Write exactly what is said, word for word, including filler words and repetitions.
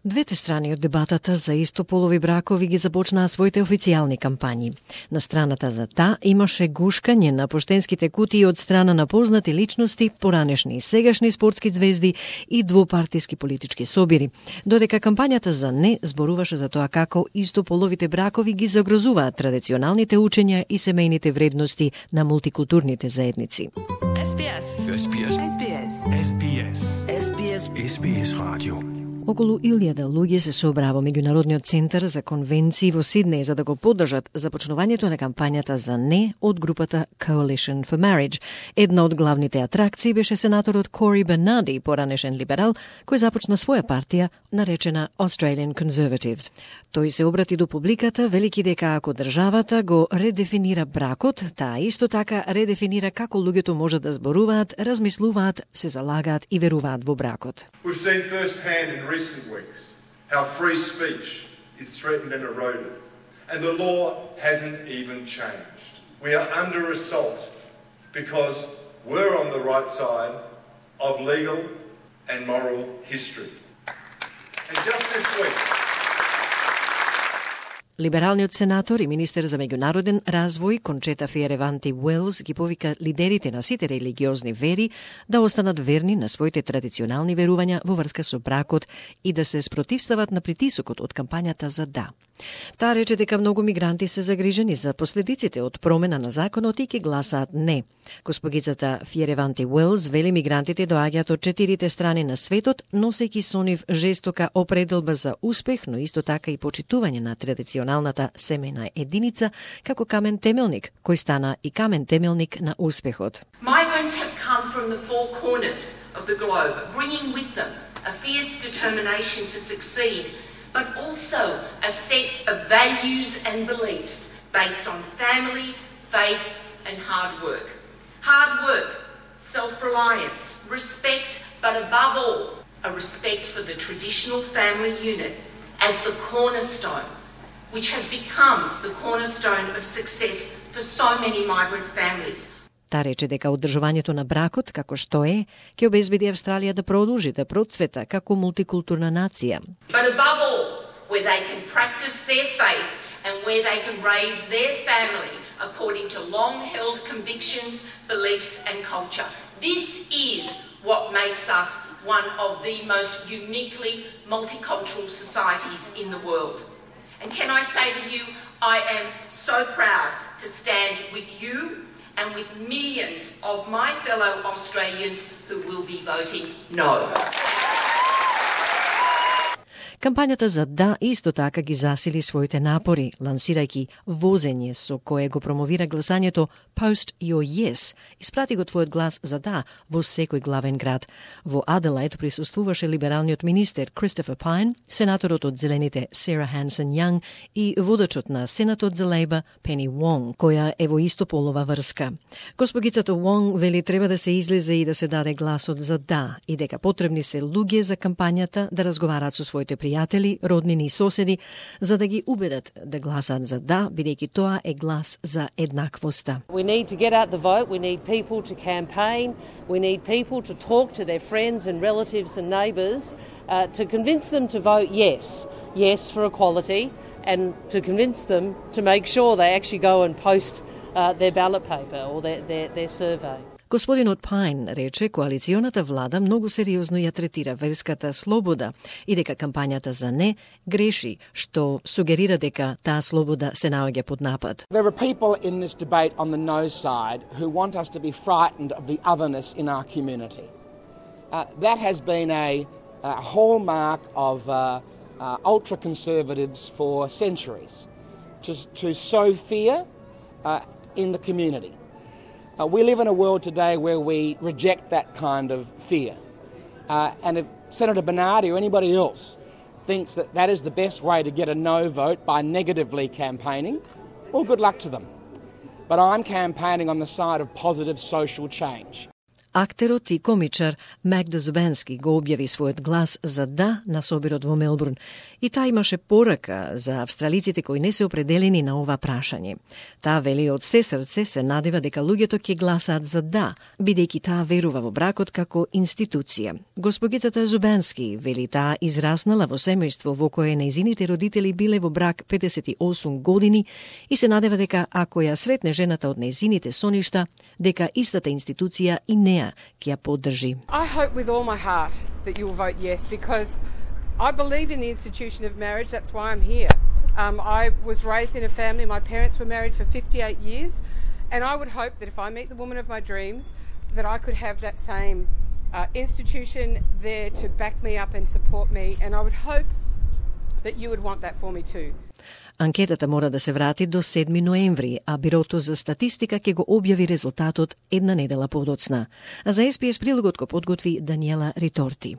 Двете страни од дебатата за истополови бракови ги започнаа своите официјални кампањи. На страната за да имаше гушкање на поштенските кутии од страна на познати личности, поранешни и сегашни спортски звезди и двопартиски политички собири, додека кампањата за не зборуваше за тоа како истополовите бракови ги загрозуваат традиционалните учења и семејните вредности на мултикултурните заедници. Ес Би Ес. Ес Би Ес. Ес Би Ес. Ес Би Ес. Ес Би Ес. Ес Би Ес радио. Околу илјада луѓе се собраа во Меѓународниот центар за конвенции во Сиднеј за да го поддржат започнувањето на кампањата за не од групата Coalition for Marriage. Една од главните атракции беше сенаторот Кори Бернади, поранешен либерал, кој започна своја партија наречена Australian Conservatives. Тој се обрати до публиката, велики дека ако државата го редефинира бракот, таа исто така редефинира како луѓето можат да зборуваат, размислуваат, се залагаат и веруваат во бракот. We've seen firsthand in recent weeks how free speech is threatened and eroded, and the law hasn't even changed. We are under assault because we're on the right side of legal and moral history. And just this week, либералниот сенатор и министер за меѓународен развој Кончета Фиереванти Уелс ги повика лидерите на сите религиозни вери да останат верни на своите традиционални верувања во врска со бракот и да се спротивстават на притисокот од кампањата за да. Таа рече дека многу мигранти се загрижени за последиците од промена на законот и ќе гласаат не. Госпогицата Фиереванти Уелс вели мигрантите доаѓаат од четирите страни на светот, носејќи со нив жестока определба за успех, но исто така и почитување на традиционалната семејна единица како камен темелник, кој стана и камен темелник на успехот. Migrants have come from the four corners of the globe, bringing with them a fierce determination to succeed, but also a set of values and beliefs based on family, faith and hard work. Hard work, self-reliance, respect, but above all, a respect for the traditional family unit as the cornerstone, which has become the cornerstone of success for so many migrant families. Та рече дека одржувањето на бракот, како што е, ќе обезбеди Австралија да продолжи да процвета како мултикултурна нација. But above all, where they can practice their faith and where they can raise their family according to long-held convictions, beliefs and culture. This is what makes us one of the most uniquely multicultural societies in the world. And can I say to you, I am so proud to stand with you and with millions of my fellow Australians who will be voting no. Кампањата за да исто така ги засили своите напори, лансирајќи возење со кое го промовира гласањето Post Your Yes, испрати го твојот глас за да во секој главен град. Во Аделаид присуствуваше либералниот министер Кристофер Пайн, сенаторот од Зелените Сара Хансен Јанг и водачот на Сенатот за Лейбор Пени Вонг, која е во истополова врска. Госпогицата Вонг вели треба да се излезе и да се даде гласот за да и дека потребни се луѓе за кампањата да разговараат со своите пријатели, роднини и соседи, за да ги убедат да гласаат за да, бидејќи тоа е глас за еднаквоста. We need to get out the vote, we need people to campaign, we need people to talk to their friends and relatives and neighbours uh, to convince them to vote yes, yes for equality, and to convince them to make sure they actually go and post uh, their ballot paper or their, their, their survey. Господинот Пайн рече коалиционата влада многу сериозно ја третира верската слобода и дека кампањата за не греши, што сугерира дека таа слобода се наоѓа под напад. There are people in this debate on the no side who want us to be frightened of the otherness in our community. Uh, that has been a, a hallmark of uh, uh, ultra-conservatives for centuries, to, to sow fear uh, in the community. Uh, we live in a world today where we reject that kind of fear. Uh, and if Senator Bernardi or anybody else thinks that that is the best way to get a no vote by negatively campaigning, well, good luck to them. But I'm campaigning on the side of positive social change. Актерот и комичар Магда Зубенски го објави својот глас за да на соборот во Мелбурн и таа имаше порака за австралиците кои не се определени на ова прашање. Таа вели од се срце се надева дека луѓето ќе гласаат за да, бидејќи таа верува во бракот како институција. Госпогицата Зубенски вели таа израснала во семејство во кое нејзините родители биле во брак педесет и осум години и се надева дека ако ја сретне жената од нејзините соништа, дека истата институција и неа ќе ја поддржи. I hope with all my heart that you will vote yes, because I believe in the institution of marriage. That's why I'm here. Um, I was raised in a family. My parents were married for fifty-eight years, and I would hope that if I meet the woman of my dreams, that I could have that same uh, institution there to back me up and support me, and I would hope that you would want that for me too. Анкетата мора да се врати до седми ноември, а Бирото за статистика ќе го објави резултатот една недела подоцна. А за Ес Би Ес прилогот го подготви Даниела Риторти.